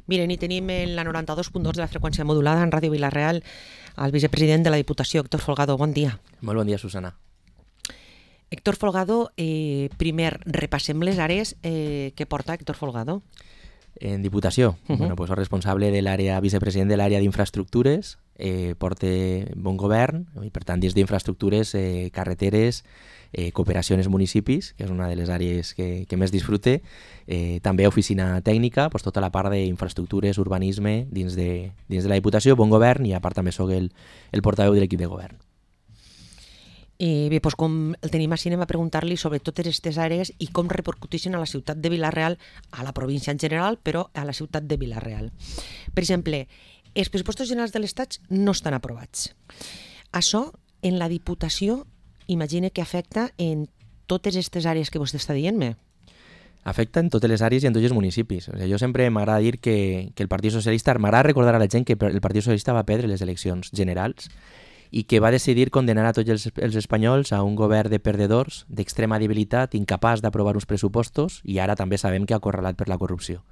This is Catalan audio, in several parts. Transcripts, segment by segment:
Miren, i tenim en la 92.2 de la freqüència modulada en Ràdio Vila-real el vicepresident de la Diputació, Héctor Folgado. Bon dia. Molt bon dia, Susana. Héctor Folgado, primer repassem les àrees que porta Héctor Folgado. En Diputació, bueno, pues, el responsable de l'àrea, vicepresident de l'àrea d'infraestructures, porta bon govern, i per tant dins d'infraestructures, carreteres, cooperació en els municipis, que és una de les àrees que més disfrute, també oficina tècnica, pues, tota la part d'infraestructures, urbanisme, dins de la Diputació, bon govern, i a part també soc el portaveu de l'equip de govern. Bé, doncs com el tenim així, anem a preguntar-li sobre totes aquestes àrees i com repercuteixen a la ciutat de Vila-real, a la província en general, però a la ciutat de Vila-real. Per exemple, els pressupostos generals de l'Estat no estan aprovats. Això, en la Diputació, imagina que afecta en totes aquestes àrees que vostè està dient-me. Afecta en totes les àrees i en tots els municipis. O sigui, jo sempre m'agrada dir que el Partit Socialista, m'agrada recordar a la gent que el Partit Socialista va perdre les eleccions generals i que va decidir condenar a tots els espanyols a un govern de perdedors, d'extrema debilitat, incapaç d'aprovar uns pressupostos, i ara també sabem que ha acorralat per la corrupció.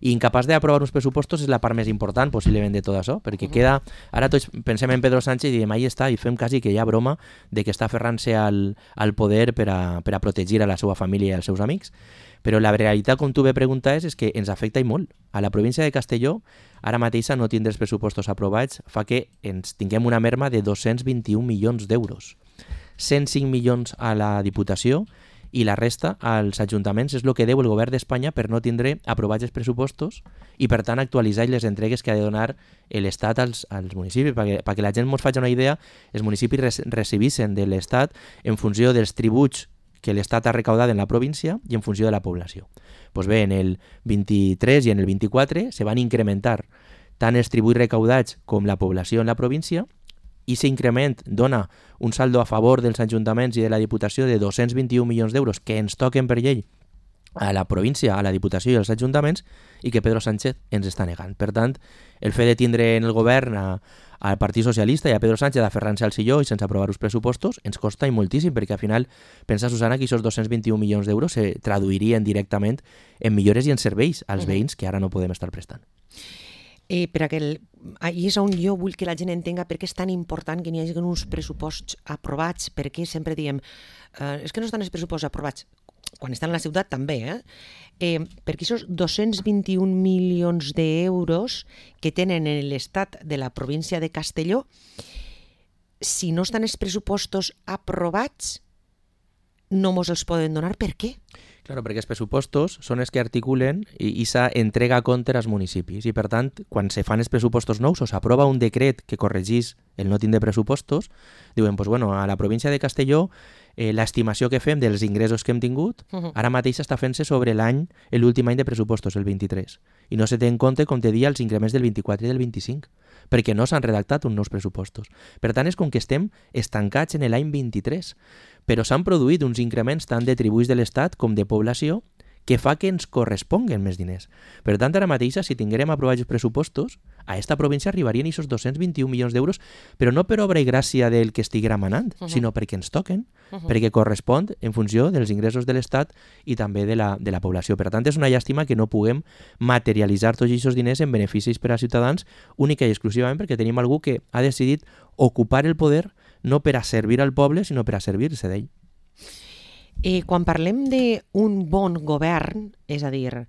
I incapaç d'aprovar uns pressupostos és la part més important, possiblement, de tot això, perquè queda... Ara tots pensem en Pedro Sánchez i diem, ahí està, i fem quasi que hi ha broma de que està aferrant-se al poder per a protegir a la seva família i als seus amics. Però la realitat, com tu bé preguntaves, és que ens afecta i molt. A la província de Castelló, ara mateixa no tindre els pressupostos aprovats fa que ens tinguem una merma de 221 milions d'euros. 105 milions a la Diputació i la resta als ajuntaments és el que deu el govern d'Espanya per no tindre aprovats els pressupostos i, per tant, actualitzar les entregues que ha de donar l'Estat als municipis. Perquè la gent ens faci una idea, els municipis recibissin de l'Estat en funció dels tributs que l'Estat ha recaudat en la província i en funció de la població. Doncs bé, en el 23 i en el 24 se van incrementar tant els tributs recaudats com la població en la província, i aquest increment dona un saldo a favor dels ajuntaments i de la Diputació de 221 milions d'euros que ens toquen per llei a la província, a la Diputació i als ajuntaments, i que Pedro Sánchez ens està negant. Per tant, el fet de tindre en el govern al Partit Socialista i a Pedro Sánchez aferrant-se al silló i sense aprovar els pressupostos ens costa i moltíssim, perquè al final pensa, Susana, que aquests 221 milions d'euros se traduirien directament en millores i en serveis als veïns que ara no podem estar prestant. I és on jo vull que la gent entenga per què és tan important que n'hi hagi uns pressuposts aprovats, perquè sempre diem és que no estan els pressupostos aprovats, quan estan a la ciutat també, perquè aquests 221 milions d'euros que tenen en l'estat de la província de Castelló, si no estan els pressupostos aprovats, no mos els poden donar. Per què? Claro, perquè els pressupostos són els que articulen i s'entrega a compte als municipis, i per tant, quan se fan els pressupostos nous o s'aprova un decret que corregís el no tindre pressupostos, diuen, pues bueno, a la província de Castelló l'estimació que fem dels ingressos que hem tingut ara mateix està fent-se sobre l'últim any de pressupostos, el 23, i no se té en compte, com te dia, els increments del 24 i del 25, perquè no s'han redactat uns nous pressupostos. Per tant, és com que estem estancats en l'any 23, però s'han produït uns increments tant de tributs de l'Estat com de població que fa que ens corresponguen més diners. Per tant, ara mateix, si tinguérem aprovats els pressupostos, a esta província arribarien aquests 221 milions d'euros, però no per obra i gràcia del que estiguera manant, sinó perquè ens toquen, perquè correspon en funció dels ingressos de l'Estat i també de la població. Per tant, és una llàstima que no puguem materialitzar tots aquests diners en beneficis per als ciutadans, única i exclusivament perquè tenim algú que ha decidit ocupar el poder no per a servir al poble, sinó per a servir-se d'ell. Quan parlem d'un bon govern, és a dir,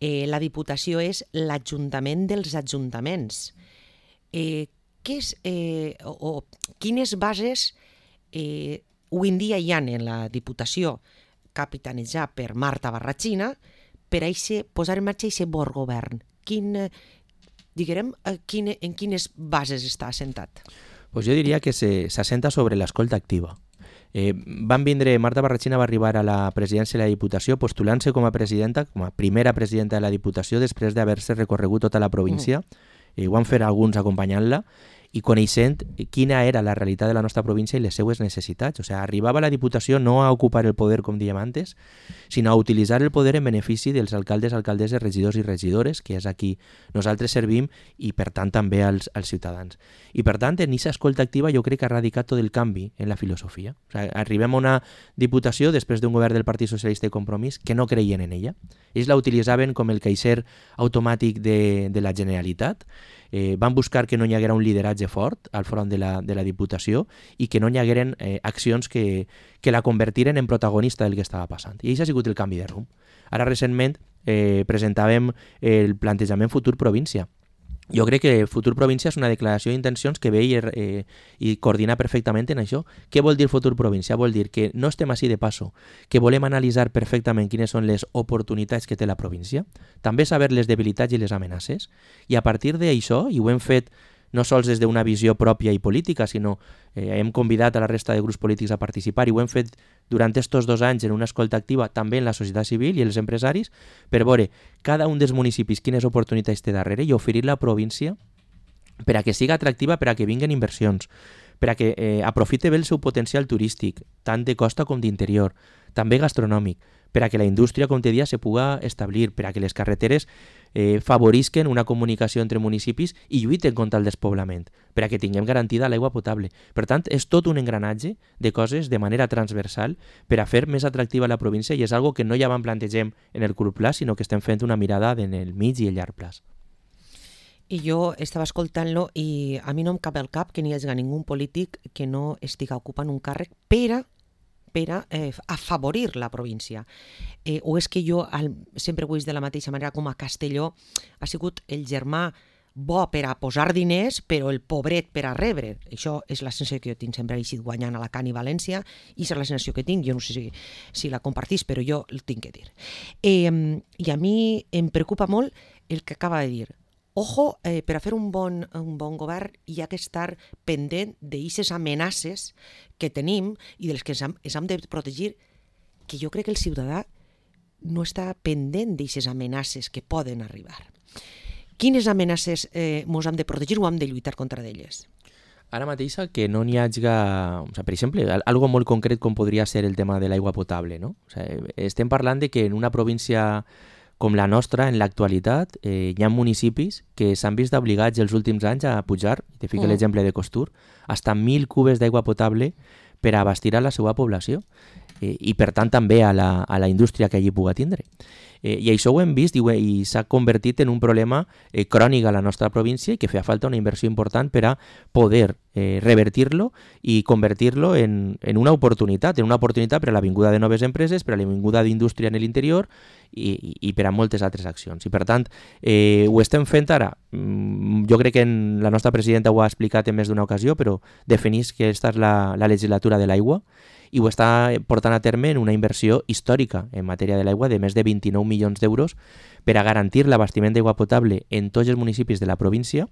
la Diputació és l'Ajuntament dels ajuntaments, quines bases avui en dia hi ha en la Diputació capitanejada per Marta Barrachina per a posar en marxa aquest bon govern? En quines bases està assentat? Pues jo diria que s'assenta sobre l'escolta activa. Marta Barrachina va arribar a la presidència de la Diputació postulant-se com a presidenta, com a primera presidenta de la Diputació després d'haver-se recorregut tota la província. Ho han fet alguns acompanyant-la, i coneixent quina era la realitat de la nostra província i les seues necessitats. O sigui, arribava la Diputació no a ocupar el poder, com dèiem antes, sinó a utilitzar el poder en benefici dels alcaldes, alcaldesses, regidors i regidores, que és a qui nosaltres servim i, per tant, també als ciutadans. I, per tant, en aquesta escolta activa jo crec que ha radicat tot el canvi en la filosofia. O sigui, arribem a una Diputació després d'un govern del Partit Socialista i Compromís que no creien en ella. Ells la utilitzaven com el caixer automàtic de la Generalitat. Van buscar que no hi haguera un lideratge fort al front de la Diputació i que no hi hagueren accions que la convertiren en protagonista del que estava passant. I això ha sigut el canvi de rumb. Ara, recentment, presentàvem el plantejament Futur Província. Jo crec que Futur Província és una declaració d'intencions que ve i coordina perfectament en això. Què vol dir Futur Província? Vol dir que no estem així de passo, que volem analitzar perfectament quines són les oportunitats que té la província, també saber les debilitats i les amenaces, i a partir d'això, i ho hem fet no sols des d'una visió pròpia i política, sinó hem convidat a la resta de grups polítics a participar i ho hem fet durant estos 2 anys en una escolta activa també en la societat civil i els empresaris per veure cada un dels municipis quines oportunitats té darrere i oferir la província per a que siga atractiva, per a que vinguen inversions, per a que aprofite bé el seu potencial turístic, tant de costa com d'interior, també gastronòmic, per a que la indústria, com te dia, se puga establir, per a que les carreteres favorisquen una comunicació entre municipis i lluiten contra el despoblament, per a que tinguem garantida l'aigua potable. Per tant, és tot un engranatge de coses de manera transversal per a fer més atractiva la província i és algo que no ja vam plantegem en el curt plaç, sinó que estem fent una mirada en el mig i el llarg plaç. I jo estava escoltant-lo i a mi no em cap al cap que n'hi hagi ningú polític que no estiga ocupant un càrrec per a afavorir la província. O és que jo sempre ho he vist de la mateixa manera com a Castelló ha sigut el germà bo per a posar diners, però el pobret per a rebre. Això és la sensació que jo tinc, sempre he eixit guanyant a Alacant i València, i és la sensació que tinc, jo no sé si la compartís, però jo el tinc que dir. I a mi em preocupa molt el que acaba de dir. Ojo, per a fer un bon govern hi ha que estar pendent d'aquestes amenaces que tenim i de les que ens hem de protegir, que jo crec que el ciutadà no està pendent d'aquestes amenaces que poden arribar. Quines amenaces ens hem de protegir o hem de lluitar contra d'elles? Ara mateix que no n'hi hagi, per exemple, algo molt concret com podria ser el tema de l'aigua potable, no? Estem parlant de que en una província com la nostra, en l'actualitat, hi ha municipis que s'han vist obligats els últims anys a pujar, te fico l'exemple de Costur, hasta 1.000 cubes d'aigua potable per a abastir a la seva població i per tant també a la indústria que allí puga tindre. I això ho hem vist i s'ha convertit en un problema crònic a la nostra província i que feia falta una inversió important per a poder revertir-lo i convertir-lo en una oportunitat per a la vinguda de noves empreses, per a la vinguda d'indústria en l'interior i per a moltes altres accions. I per tant, ho estem fent ara. Jo crec que la nostra presidenta ho ha explicat en més d'una ocasió, però definís que aquesta és la legislatura de l'aigua i ho està portant a terme en una inversió històrica en matèria de l'aigua de més de 29 milions d'euros per a garantir l'abastiment d'aigua potable en tots els municipis de la província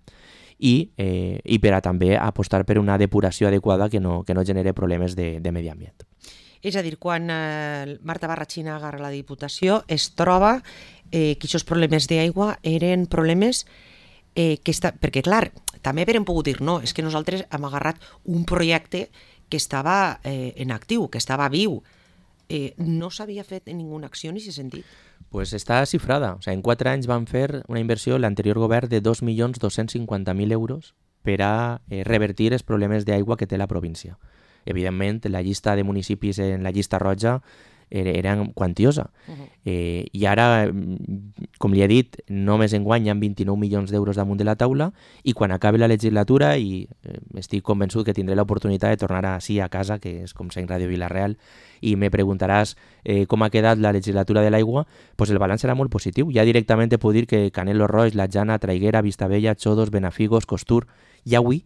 i per a també apostar per una depuració adequada que no genere problemes de medi ambient. És a dir, quan Marta Barrachina agarra la Diputació es troba que aquests problemes d'aigua eren problemes perquè, clar, també haurem pogut dir no, és que nosaltres hem agarrat un projecte que estava en actiu, que estava viu. No s'havia fet ninguna acció en aquest sentit. Pues està xifrada. O sigui, en 4 anys van fer una inversió l'anterior govern de 2.250.000 euros per a revertir els problemes d'aigua que té la província. Evidentment, la llista de municipis en la llista roja era quantiosa. I ara, com li he dit, només enguany hi ha 29 milions d'euros damunt de la taula i quan acabi la legislatura, i estic convençut que tindré l'oportunitat de tornar així a casa, que és com sent Ràdio Vila-real, i me preguntaràs com ha quedat la legislatura de l'aigua, doncs el balanç serà molt positiu. Ja directament te puc dir que Canelo Roig, La Jana, Traiguera, Vistabella, Xodos, Benafigos, Costur, ja avui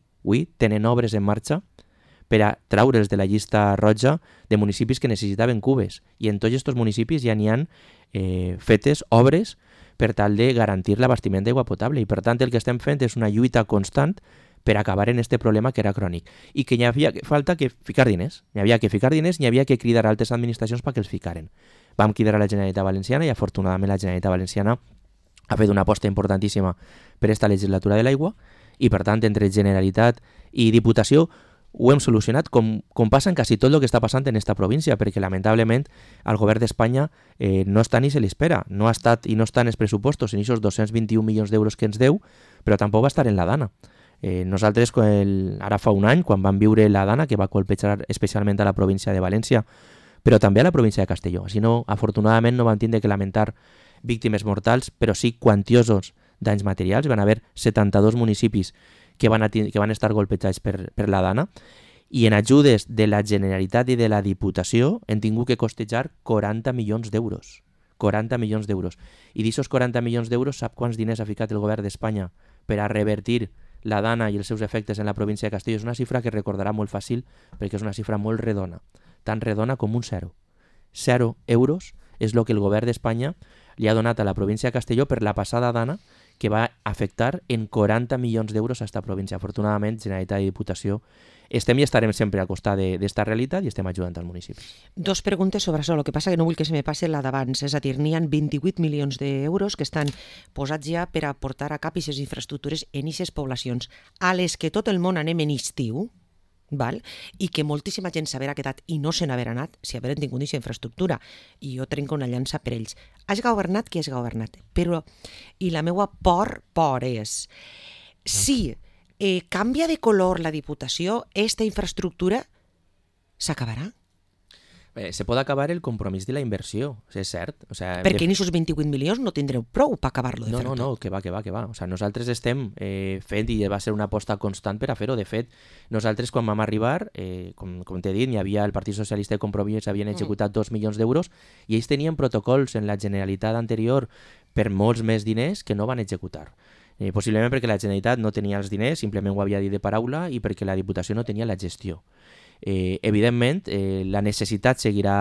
tenen obres en marxa per a traure'ls de la llista roja de municipis que necessitaven cubes. I en tots aquests municipis ja n'hi ha fetes obres per tal de garantir l'abastiment d'aigua potable. I per tant el que estem fent és una lluita constant per acabar en este problema que era crònic. I que hi havia falta que ficar diners. N'hi havia que ficar diners, n'hi havia que cridar a altres administracions perquè els ficaren. Vam cridar a la Generalitat Valenciana i afortunadament la Generalitat Valenciana ha fet una aposta importantíssima per esta legislatura de l'aigua i per tant entre Generalitat i Diputació ho hem solucionat com passa en quasi tot el que està passant en esta província, perquè lamentablement el govern d'Espanya no està ni se li espera, no ha estat i no està en els pressupostos en aquests 221 milions d'euros que ens deu, però tampoc va estar en la Dana. Nosaltres, ara fa un any, quan vam viure la Dana, que va colpejar especialment a la província de València, però també a la província de Castelló. Així no, afortunadament no vam tindre que lamentar víctimes mortals, però sí quantiosos danys materials. Van haver 72 municipis que van estar golpejats per la Dana, i en ajudes de la Generalitat i de la Diputació hem tingut que costejar 40 milions d'euros. 40 milions d'euros. I d'aquests 40 milions d'euros, sap quants diners ha ficat el govern d'Espanya per a revertir la Dana i els seus efectes en la província de Castelló? És una xifra que recordarà molt fàcil perquè és una xifra molt redona, tan redona com un 0. 0 euros és el que el govern d'Espanya li ha donat a la província de Castelló per la passada Dana, que va afectar en 40 milions d'euros a esta província. Afortunadament, Generalitat i Diputació estem i estarem sempre al costat d'esta realitat i estem ajudant als municipis. Dos preguntes sobre això. El que passa que no vull que se me passi la d'abans. És a dir, n'hi ha 28 milions d'euros que estan posats ja per a portar a cap aquestes infraestructures en aquestes poblacions a les que tot el món anem en estiu, val? I que moltíssima gent s'haverà quedat i no se n'haverà anat si hagueren tingut aquesta infraestructura. I jo trenco una llança per ells. Has governat qui has governat. Però, i la meva por és, si canvia de color la Diputació, esta infraestructura s'acabarà? Se pot acabar el compromís de la inversió, és cert. O sea, perquè en aquests 28 milions no tindreu prou per acabar-lo de fer tot. No, que va. O sea, nosaltres estem fent, i va ser una aposta constant per a fer-ho. De fet, nosaltres quan vam arribar, com t'he dit, hi havia el Partit Socialista de Compromís, havien executat 2 milions d'euros, i ells tenien protocols en la Generalitat anterior per molts més diners que no van executar. Possiblement perquè la Generalitat no tenia els diners, simplement ho havia dit de paraula, i perquè la Diputació no tenia la gestió. Evidentment, la necessitat seguirà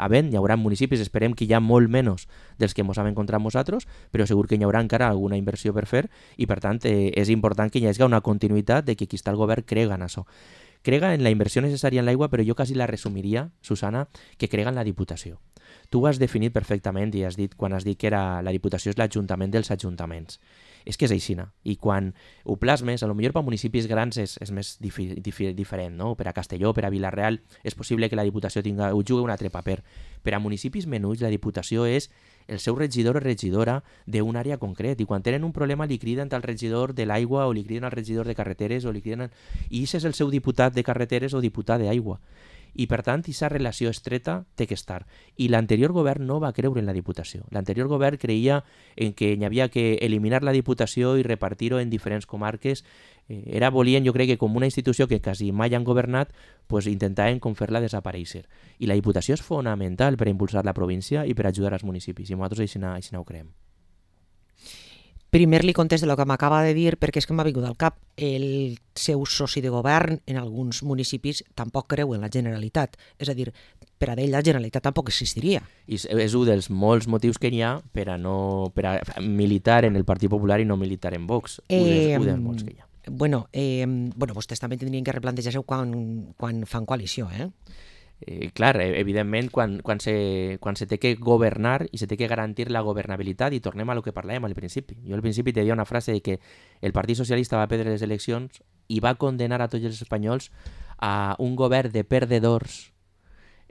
havent, hi haurà municipis, esperem que hi ha molt menys dels que ens hem encontrat nosaltres, però segur que hi haurà encara alguna inversió per fer, i per tant és important que hi hagi una continuïtat de que qui està al govern crega en això. Crega en la inversió necessària en l'aigua, però jo quasi la resumiria, Susana, que crega en la Diputació. Tu ho has definit perfectament i has dit, quan has dit que la Diputació és l'Ajuntament dels ajuntaments. És que és aixina, i quan ho plasmes, potser per municipis grans és més diferent, no? Per a Castelló, per a Vila-real, és possible que la Diputació ho jugui un altre paper. Per a municipis menuts, la Diputació és el seu regidor o regidora d'un àrea concret, i quan tenen un problema li criden al regidor de l'aigua o li criden al regidor de carreteres, i aquest és el seu diputat de carreteres o diputat d'aigua. I per tant, aquesta relació estreta té que estar. I l'anterior govern no va creure en la Diputació. L'anterior govern creia en que hi havia que eliminar la Diputació i repartir-ho en diferents comarques. Volien, jo crec que com una institució que quasi mai han governat, pues intentaven com fer-la desaparèixer. I la Diputació és fonamental per impulsar la província i per ajudar als municipis. I nosaltres així ho creiem. Primer li contesto el que m'acaba de dir perquè és que m'ha vingut al cap. El seu soci de govern en alguns municipis tampoc creu en la Generalitat. És a dir, per a ell la Generalitat tampoc existiria. I és un dels molts motius que hi ha per a militar en el Partit Popular i no militar en Vox. Un dels molts que hi ha. Bueno, vostès també tindrien que replantejar-se quan fan coalició, Clar, evidentment, quan se té que governar i se té que garantir la governabilitat, i tornem a lo que parlàvem al principi. Jo al principi te deia una frase de que el Partit Socialista va perdre les eleccions i va condenar a tots els espanyols a un govern de perdedors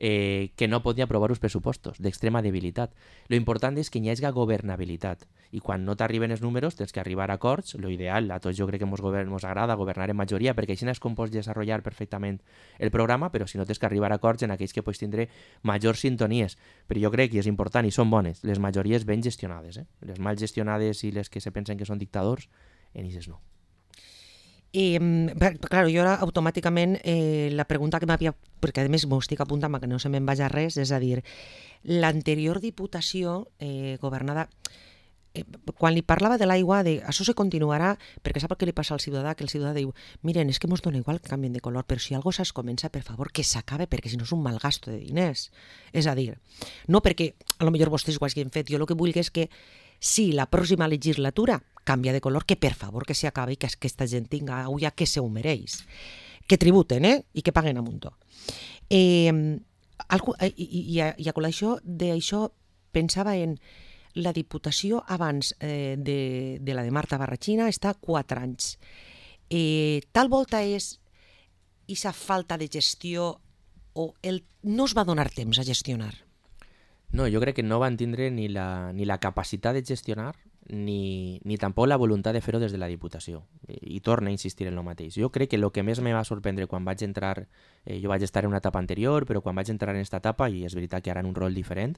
que no podia aprovar els pressupostos, d'extrema debilitat. Lo important és que hi hagi governabilitat, i quan no t'arriben els números tens que arribar a acords. Lo ideal, a tots jo crec que ens agrada governar en majoria, perquè així és com pots desenvolupar perfectament el programa, però si no tens que arribar a acords en aquells que pots tindre majors sintonies. Però jo crec que és important, i són bones, les majories ben gestionades. Les mal gestionades i les que se pensen que són dictadors, en aquestes no. Claro, jo ara automàticament la pregunta que m'havia, perquè a més m'ho estic apuntant que no se me'n vagi res, és a dir, l'anterior Diputació governada, quan li parlava de l'aigua, això se continuarà, perquè sap el que li passa al ciutadà, que el ciutadà diu, miren, és que mos dona igual que canvien de color, però si algo es comença, per favor, que s'acabe, perquè si no és un mal gasto de diners. És a dir, no perquè a lo millor vostès ho hagin fet, jo el que vull és que si la pròxima legislatura canvia de color, que per favor que s'acabi i que aquesta gent tinga aigua que se ho mereix. Que tributen, i que paguen a muntó. I a col·lació d'això pensava en la Diputació abans de la de Marta Barrachina està 4 anys. Tal volta és aquesta falta de gestió o no es va donar temps a gestionar? No, jo crec que no van tindre ni la capacitat de gestionar ni tampoc la voluntat de fer-ho des de la Diputació. I torna a insistir en el mateix. Jo crec que el que més me va sorprendre quan vaig entrar, jo vaig estar en una etapa anterior, però quan vaig entrar en aquesta etapa, i és veritat que ara en un rol diferent,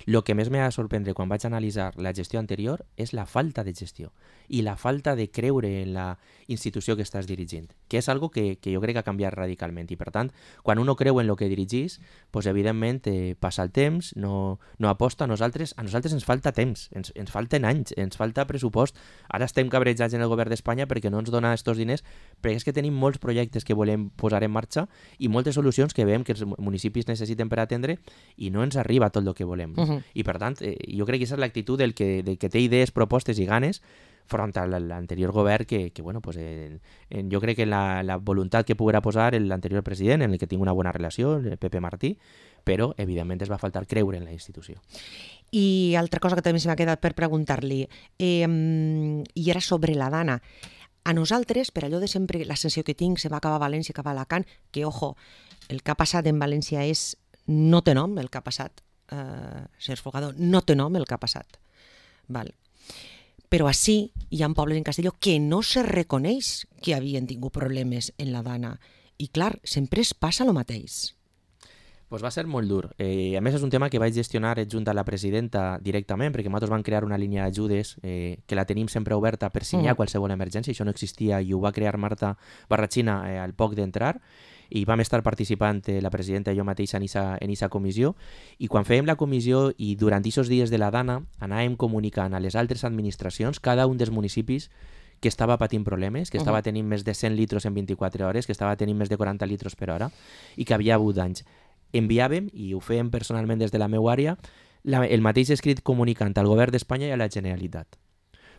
el que més me va sorprendre quan vaig analitzar la gestió anterior és la falta de gestió i la falta de creure en la institució que estàs dirigint, que és algo que jo crec que ha canviat radicalment. I per tant, quan uno creu en el que dirigís, pues, evidentment passa el temps, no aposta. A nosaltres ens falta temps, ens falten anys, ens falta pressupost. Ara estem cabrejats en el govern d'Espanya perquè no ens dona aquests diners, perquè és que tenim molts projectes que volem posar en marxa i moltes solucions que veiem que els municipis necessiten per atendre i no ens arriba tot el que volem. I per tant, jo crec que aquesta és l'actitud del que té idees, propostes i ganes front a l'anterior govern que bueno, pues, jo crec que la voluntat que poguera posar l'anterior president, en el que tinc una bona relació, el Pepe Martí, però evidentment es va faltar creure en la institució. I altra cosa que també se m'ha quedat per preguntar-li, i era sobre la Dana. A nosaltres, per allò de sempre, la sensació que tinc, se va acabar a València, cap a Alacant, que, ojo, el que ha passat en València no té nom, el que ha passat, ser Fogador, no té nom el que ha passat. Val. Però així hi ha pobles en Castelló que no se reconeix que havien tingut problemes en la Dana. I clar, sempre es passa el mateix. Pues va ser molt dur. A més, és un tema que vaig gestionar junt a la presidenta directament, perquè nosaltres vam crear una línia d'ajudes que la tenim sempre oberta per si hi ha qualsevol emergència. Això no existia i ho va crear Marta Barratxina al poc d'entrar, i vam estar participant la presidenta i jo mateix en aquesta comissió, i quan fèiem la comissió i durant aquests dies de la Dana anàvem comunicant a les altres administracions cada un dels municipis que estava patint problemes, que estava tenint més de 100 litros en 24 hores, que estava tenint més de 40 litros per hora i que havia hagut danys. Enviàvem, i ho fèiem personalment des de la meva àrea, el mateix escrit comunicant al govern d'Espanya i a la Generalitat.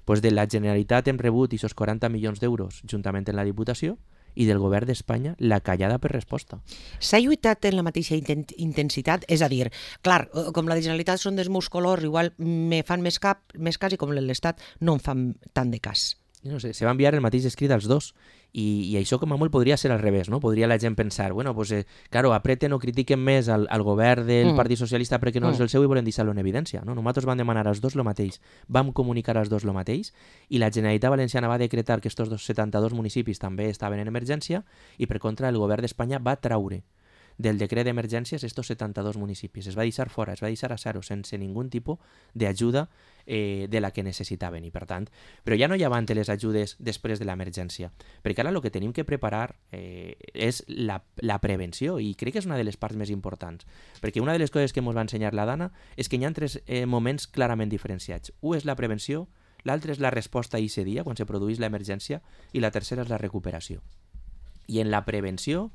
Pues de la Generalitat hem rebut aquests 40 milions d'euros juntament amb la Diputació, i del govern d'Espanya la callada per resposta. S'ha lluitat en la mateixa intensitat? És a dir, clar, com la Generalitat són dels meus colors, igual me fan més cas i com l'Estat no em fan tant de cas. No sé, se va enviar el mateix escrit als dos i això com a molt podria ser al revés, no? Podria la gent pensar, bueno, pues, claro, apreten o critiquen més al govern del Partit Socialista perquè no és el seu i volen deixar-lo en evidència, no? Nosaltres vam demanar als dos el mateix, vam comunicar als dos el mateix i la Generalitat Valenciana va decretar que aquests 72 municipis també estaven en emergència i per contra el govern d'Espanya va traure del decret d'emergències estos 72 municipis. Es va deixar fora, es va deixar a zero, sense ningú tipus d'ajuda de la que necessitaven. I per tant, però ja no hi havia les ajudes després de l'emergència, perquè ara el que tenim que preparar és la prevenció, i crec que és una de les parts més importants, perquè una de les coses que ens va ensenyar la Dana és que hi ha tres moments clarament diferenciats. Un és la prevenció, l'altre és la resposta a aquest dia, quan se produeix l'emergència, i la tercera és la recuperació. I en la prevenció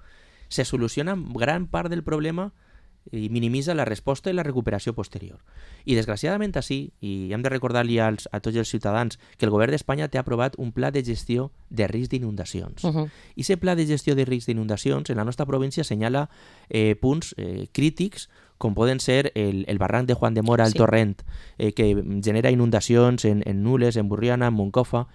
se soluciona gran part del problema i minimitza la resposta i la recuperació posterior. I desgraciadament així, i hem de recordar-li a tots els ciutadans que el govern d'Espanya té aprovat un pla de gestió de risc d'inundacions. I aquest pla de gestió de risc d'inundacions en la nostra província assenyala punts crítics com poden ser el barranc de Juan de Mora, el torrent, que genera inundacions en Nules, en Burriana, en Moncofa,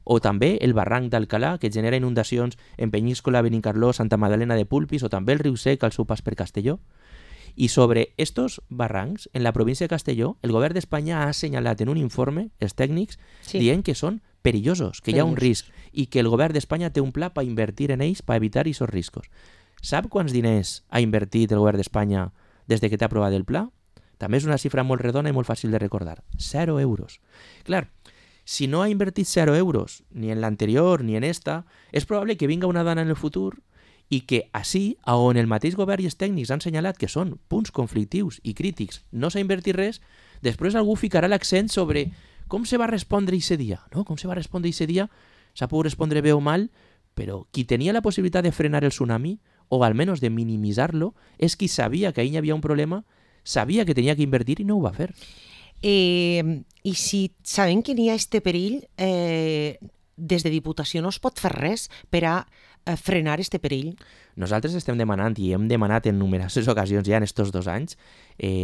o també el barranc d'Alcalà, que genera inundacions en Penyíscola, Benicarló, Santa Magdalena de Pulpis, o també el riu Sec al seu pas per Castelló. I sobre estos barrancs, en la província de Castelló, el govern d'Espanya ha assenyalat en un informe, els tècnics, dient que són perillosos, que hi ha un risc, i que el govern d'Espanya té un pla per invertir en ells, per evitar aquests riscos. Sap quants diners ha invertit el govern d'Espanya des que té aprovat el pla? També és una xifra molt redona i molt fàcil de recordar. 0 euros. Clar, si no ha invertit 0 euros, ni en l'anterior ni en esta, és probable que vinga una Dana en el futur i que així, on el mateix govern i els tècnics han assenyalat que són punts conflictius i crítics, no s'ha invertit res, després algú ficarà l'accent sobre com se va respondre aquest dia. No? Com se va respondre aquest dia? S'ha pogut respondre bé o mal, però qui tenia la possibilitat de frenar el tsunami, o almenys de minimitzar-lo, és qui sabia que ahir hi havia un problema, sabia que tenia que invertir i no ho va fer. I si sabem que n'hi ha este perill, des de Diputació no es pot fer res per a frenar este perill? Nosaltres estem demanant, i hem demanat en numeroses ocasions ja en estos 2 anys,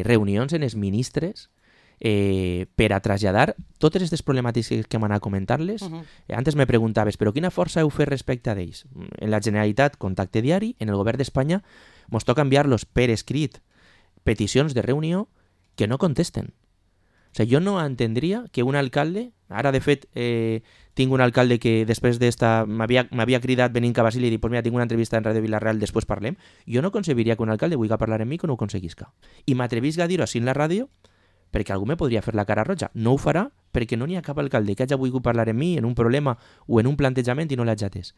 reunions en els ministres per a traslladar totes aquestes problemàtiques que m'han anat comentant-les. Antes me preguntaves, però quina força heu fet respecte a ells? En la Generalitat, contacte diari, en el govern d'Espanya mos toca enviar-los per escrit peticions de reunió que no contesten. O sigui, jo no entendria que un alcalde, ara de fet tinc un alcalde que després d'esta m'havia cridat venint cap a Basili i dit, pues mira, tinc una entrevista en Ràdio Vilareal, després parlem. Jo no concebiria que un alcalde vulgui parlar amb mi que no ho aconseguisca. I m'atrevisc a dir-ho així en la ràdio perquè algú me podria fer la cara roja. No ho farà perquè no n'hi ha cap alcalde que hagi volgut parlar amb mi en un problema o en un plantejament i no l'hagi atès.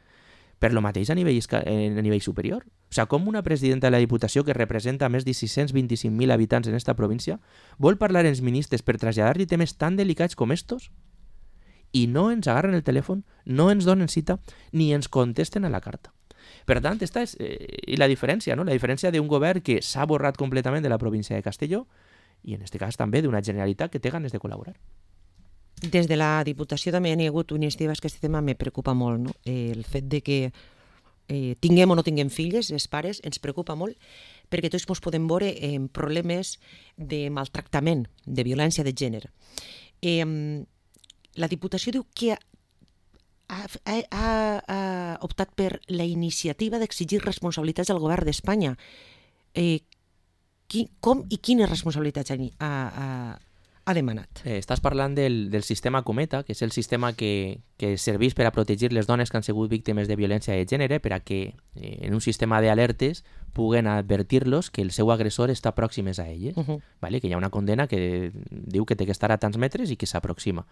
Per lo mateix a nivell superior. O sigui, com una presidenta de la Diputació que representa més de 625.000 habitants en esta província vol parlar amb els ministres per traslladar-li temes tan delicats com estos i no ens agarren el telèfon, no ens donen cita ni ens contesten a la carta. Per tant, esta és la diferència, no? La diferència d'un govern que s'ha borrat completament de la província de Castelló i en aquest cas també d'una Generalitat que té ganes de col·laborar. Des de la Diputació també hi ha hagut iniciatives que aquest tema me preocupa molt, no? El fet de que tinguem o no tinguem filles, els pares, ens preocupa molt perquè tots ens podem veure en problemes de maltractament, de violència de gènere. La Diputació diu que ha optat per la iniciativa d'exigir responsabilitats al govern d'Espanya. Com i quines responsabilitats ha demanat? Estàs parlant del sistema Cometa, que és el sistema que serveix per a protegir les dones que han sigut víctimes de violència de gènere, per a que en un sistema d'alertes puguen advertir-los que el seu agressor està pròxim a elles, vale? Que hi ha una condena que diu que té que estar a tants metres i que s'aproxima.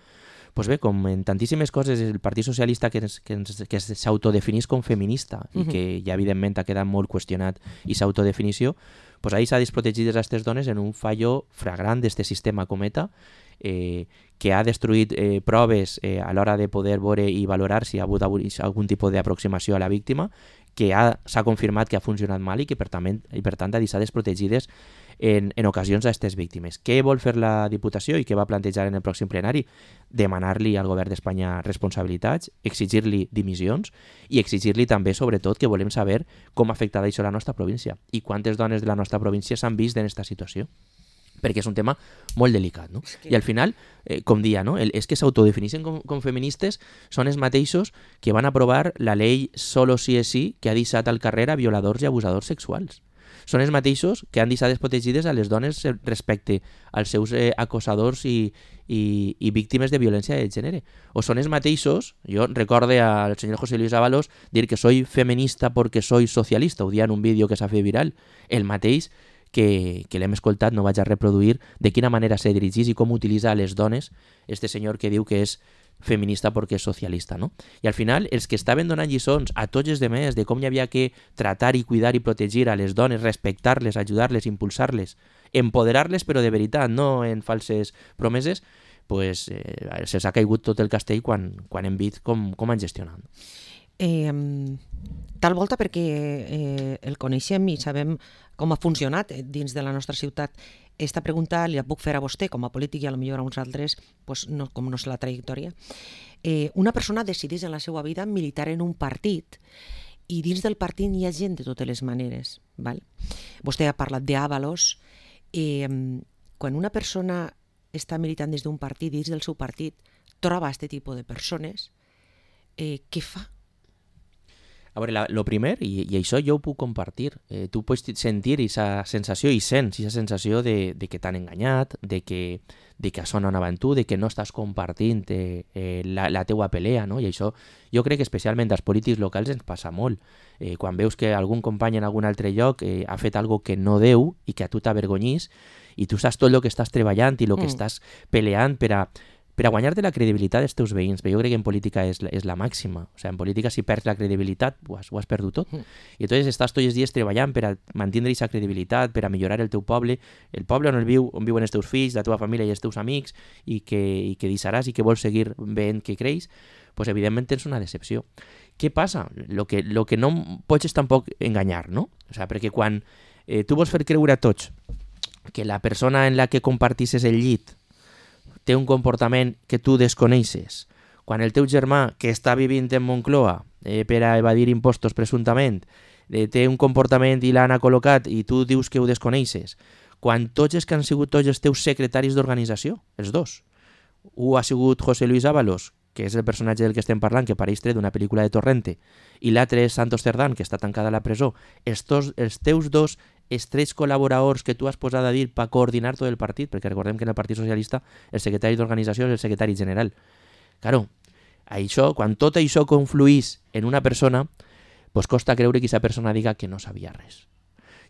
Pues bé, com en tantíssimes coses, el Partit Socialista que s'autodefinís com feminista i que ja evidentment ha quedat molt qüestionat i s'autodefinició, pues ahí s'ha desprotegit a aquestes dones en un fallo flagrant d'este sistema Cometa que ha destruït proves a l'hora de poder veure i valorar si ha hagut algun tipus d'aproximació a la víctima, que s'ha confirmat que ha funcionat mal i que per tant ha deixat desprotegides en ocasions a aquestes víctimes. Què vol fer la Diputació i què va plantejar en el pròxim plenari? Demanar-li al govern d'Espanya responsabilitats, exigir-li dimissions i exigir-li també, sobretot, que volem saber com ha afectat això a la nostra província i quantes dones de la nostra província s'han vist en aquesta situació. Perquè és un tema molt delicat, no? I al final, com dia, no? És que s'autodefineixen com feministes són els mateixos que van aprovar la llei Solo sí es sí, que ha deixat al carrer a violadors i abusadors sexuals. Són els mateixos que han deixat desprotegides a les dones respecte als seus acosadors i víctimes de violència de gènere. O són els mateixos, jo recorde al senyor José Luis Ábalos dir que soy feminista porque soy socialista, ho dia en un vídeo que s'ha fet viral, el mateix que l'hem escoltat, no vaig a reproduir, de quina manera se dirigís i com utilitza a les dones este senyor que diu que és feminista perquè és socialista, no? I al final, els que estaven donant lliçons a tots els demés de com hi havia que tratar i cuidar i protegir a les dones, respectar-les, ajudar-les, impulsar-les, empoderar-les, però de veritat, no en falses promeses, pues se'ls ha caigut tot el castell quan hem vist com han gestionat. Tal volta perquè el coneixem i sabem com ha funcionat dins de la nostra ciutat. Esta pregunta li la puc fer a vostè com a polític i a lo millor a uns altres, pues no, com no és la trajectòria. Una persona decideix en la seva vida militar en un partit i dins del partit hi ha gent de totes les maneres. Val? Vostè ha parlat d'Ábalos. Quan una persona està militant des d'un partit, dins del seu partit, troba aquest tipus de persones, què fa? A veure, lo primer, i això jo ho puc compartir, tu pots sentir aquesta sensació i sents aquesta sensació de que t'han enganyat, de que això no anava amb tu, de que no estàs compartint la teua pelea, no? I això jo crec que especialment als polítics locals ens passa molt. Quan veus que algun company en algun altre lloc ha fet algo que no deu i que a tu t'avergonyís i tu saps tot el que estàs treballant i el que estàs peleant per a guanyar-te la credibilitat dels teus veïns, però jo crec que en política és la màxima. O sigui, en política si perds la credibilitat ho has perdut tot. I entonces estàs tots els dies treballant per a mantenir aquesta credibilitat, per a millorar el teu poble, el poble on viuen els teus fills, la teva família i els teus amics, i que deixaràs i que vols seguir veient que creix, pues evidentment tens una decepció. Què passa? Lo que no pots és tampoc enganyar, no? O sigui, perquè quan tu vols fer creure a tots que la persona en la que compartisses el llit té un comportament que tu desconeixes, quan el teu germà, que està vivint en Moncloa per a evadir impostos presumptament, té un comportament i l'han col·locat i tu dius que ho desconeixes, quan tots els que han sigut tots els teus secretaris d'organització, els dos, un ha sigut José Luis Ábalos, que és el personatge del que estem parlant, que pareix tret d'una pel·lícula de Torrente, i l'altre és Santos Cerdán, que està tancada a la presó, els teus dos estrets col·laboradors que tu has posat a dir per coordinar tot el partit, perquè recordem que en el Partit Socialista el secretari d'organització és el secretari general. Claro, això, quan tot això confluís en una persona, pues costa creure que aquesta persona diga que no sabia res.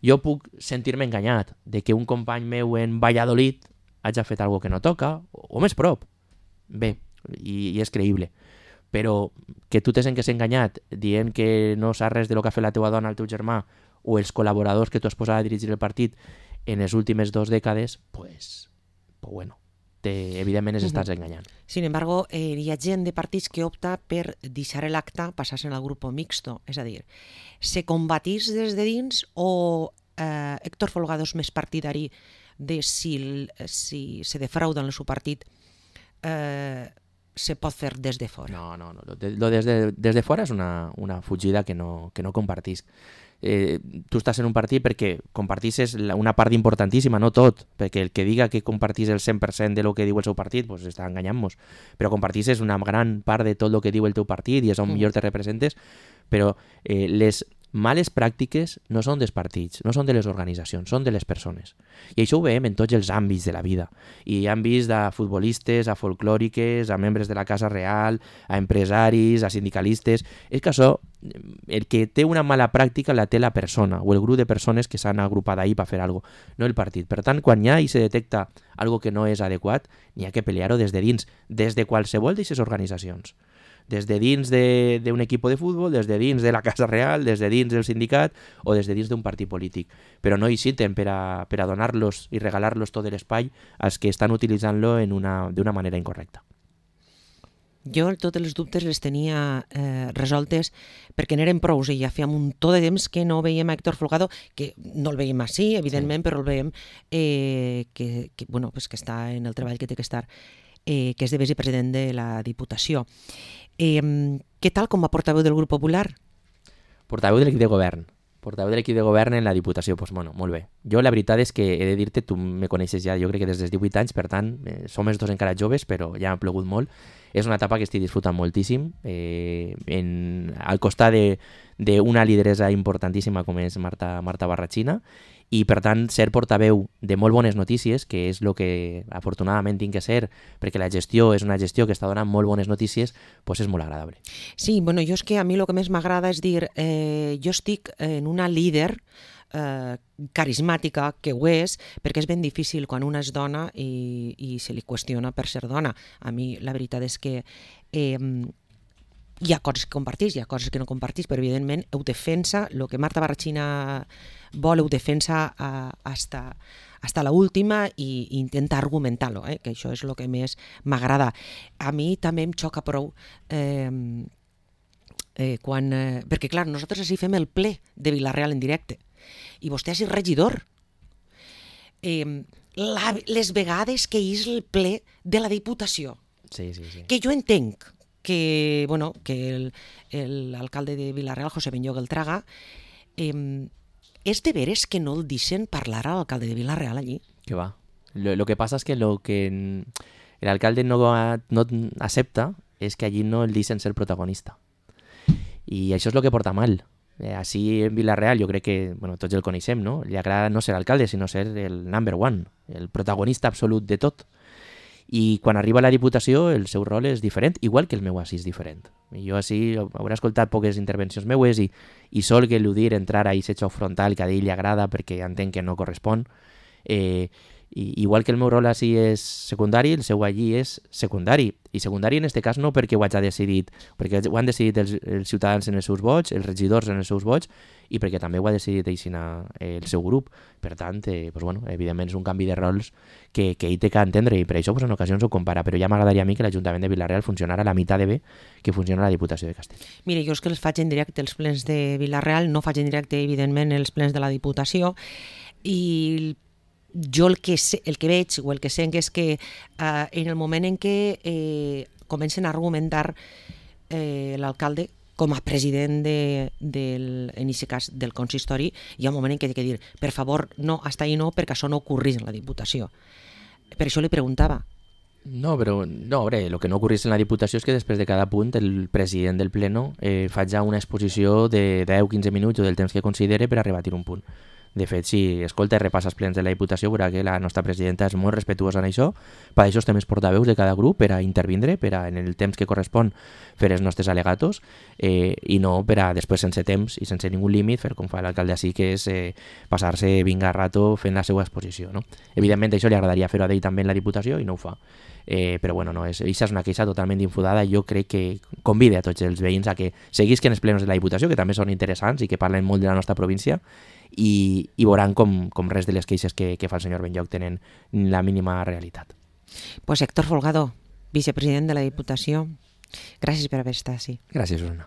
Jo puc sentir-me enganyat de que un company meu en Valladolid hagi fet alguna que no toca, o més prop. Bé, i és creïble. Però que tu te sentes enganyat dient que no saps res de lo que ha fet la teva dona, el teu germà, o els col·laboradors que tu has posat a dirigir el partit en les últimes 2 dècades, pues bueno, evidentment estàs enganyant. Sin embargo, hi ha gent de partits que opta per deixar l'acte, passar-se al grup mixto. És a dir, se combatís des de dins o Héctor Folgado és més partidari de si se defrauda en el seu partit se pot fer des de fora? No. Lo des de fora és una fugida que no compartisc. Tu estàs en un partit perquè compartisses una part importantíssima, no tot, perquè el que diga que compartís el 100% de lo que diu el seu partit pues està enganyant-nos, però compartisses una gran part de tot el que diu el teu partit i és on millor te representes, però les males pràctiques no són dels partits, no són de les organitzacions, són de les persones. I això ho veiem en tots els àmbits de la vida. I han vist a futbolistes, a folclòriques, a membres de la Casa Real, a empresaris, a sindicalistes. És que això, el que té una mala pràctica la té la persona o el grup de persones que s'han agrupat ahir per fer alguna cosa, no el partit. Per tant, quan hi ha i se detecta algo que no és adequat, n'hi ha que pelear-ho des de dins, des de qualsevol d'aquestes organitzacions. Des de dins d'un equip de futbol, des de dins de la Casa Real, des de dins del sindicat o des de dins d'un partit polític. Però no hi citen per a donar-los i regalar-los tot l'espai als que estan utilitzant-lo d'una manera incorrecta. Jo tots els dubtes les tenia resoltes perquè n'eren prous i ja fèiem un tot de temps que no veiem a Héctor Folgado, que no el veiem així, evidentment, però el veiem que està en el treball que té que estar, que és de vicepresident de la Diputació. Què tal com a portaveu del grup popular? Portaveu de l'equip de govern. Portaveu de l'equip de govern en la Diputació, doncs bueno, molt bé. Jo la veritat és que he de dir-te, tu me coneixes ja, jo crec que des dels 18 anys, per tant, som els dos encara joves, però ja m'ha plogut molt. És una etapa que estic disfrutant moltíssim, al costat d'una lideresa importantíssima com és Marta Barrachina, i per tant ser portaveu de molt bones notícies, que és el que afortunadament tinc que ser, perquè la gestió és una gestió que està donant molt bones notícies, doncs és molt agradable. Sí, bueno, jo és que a mi el que més m'agrada és dir, jo estic en una líder carismàtica, que ho és, perquè és ben difícil quan una és dona i se li qüestiona per ser dona. A mi la veritat és que hi ha coses que compartís, hi ha coses que no compartís, però evidentment ho defensa, el que Marta Barrachina vol ho defensa hasta la última i intenta argumentar-lo, que això és el que més m'agrada. A mi també em xoca prou perquè clar, nosaltres així fem el ple de Vila-real en directe i vostè és el regidor. Les vegades que és el ple de la Diputació, que jo entenc que l'alcalde de Vila-real, José Benlloc el Traga, és de veres que no el deixen parlar a l'alcalde de Vila-real allí? Que va. Lo que pasa es que lo que el alcalde no acepta es que allí no el deixen ser protagonista. I això és el que porta mal. Així en Vila-real jo crec que tots el coneixem, no? Li agrada no ser alcalde, sinó ser el number one, el protagonista absolut de tot. I quan arriba a la Diputació el seu rol és diferent, igual que el meu així és diferent. Jo així hauré escoltat poques intervencions meues i sol que eludir entrar a aquest xoc frontal que a ell li agrada perquè entenc que no correspon. Igual que el meu rol així és secundari, el seu allí és secundari. I secundari en aquest cas no perquè ho hagi decidit, perquè ho han decidit els ciutadans en els seus vots, els regidors en els seus vots, i perquè també ho ha decidit el seu grup. Per tant, evidentment és un canvi de rols que ell té que entendre, i per això en ocasions ho compara, però ja m'agradaria a mi que l'Ajuntament de Vila-real funcionara a la meitat de bé que funciona la Diputació de Castell. Mira, jo és que els faig en directe els plens de Vila-real, no faig en directe, evidentment, els plens de la Diputació, i jo el que veig o el que sent és que en el moment en què comencen a argumentar l'alcalde com a president en aquest cas del consistori, hi ha un moment en què he de dir, per favor, no, hasta ahí no, perquè això no ocorrís en la Diputació. Per això li preguntava. No, però no, a veure, el que no ocorrís en la Diputació és que després de cada punt el president del Pleno faig una exposició de 10-15 minuts o del temps que considere per a rebatir un punt. De fet, si escolta i repassa els plens de la Diputació, veurà que la nostra presidenta és molt respectuosa en això, per això estem els portaveus de cada grup per a intervindre, per a, en el temps que correspon, fer els nostres al·legatos i no per a després, sense temps i sense ningú límit, fer com fa l'alcalde així, que és passar-se vinga rato fent la seva exposició. No? Evidentment, això li agradaria fer-ho a ell també en la Diputació i no ho fa. Però bueno, no, això és una queixa totalment infundada i jo crec que convida a tots els veïns a que seguisquen els plenos de la Diputació, que també són interessants i que parlen molt de la nostra província, i veuran com res de les queixes que fa el senyor Benlloch tenen la mínima realitat. Pues Héctor Folgado, vicepresident de la Diputació, gràcies per haver estat així. Gràcies, Susana.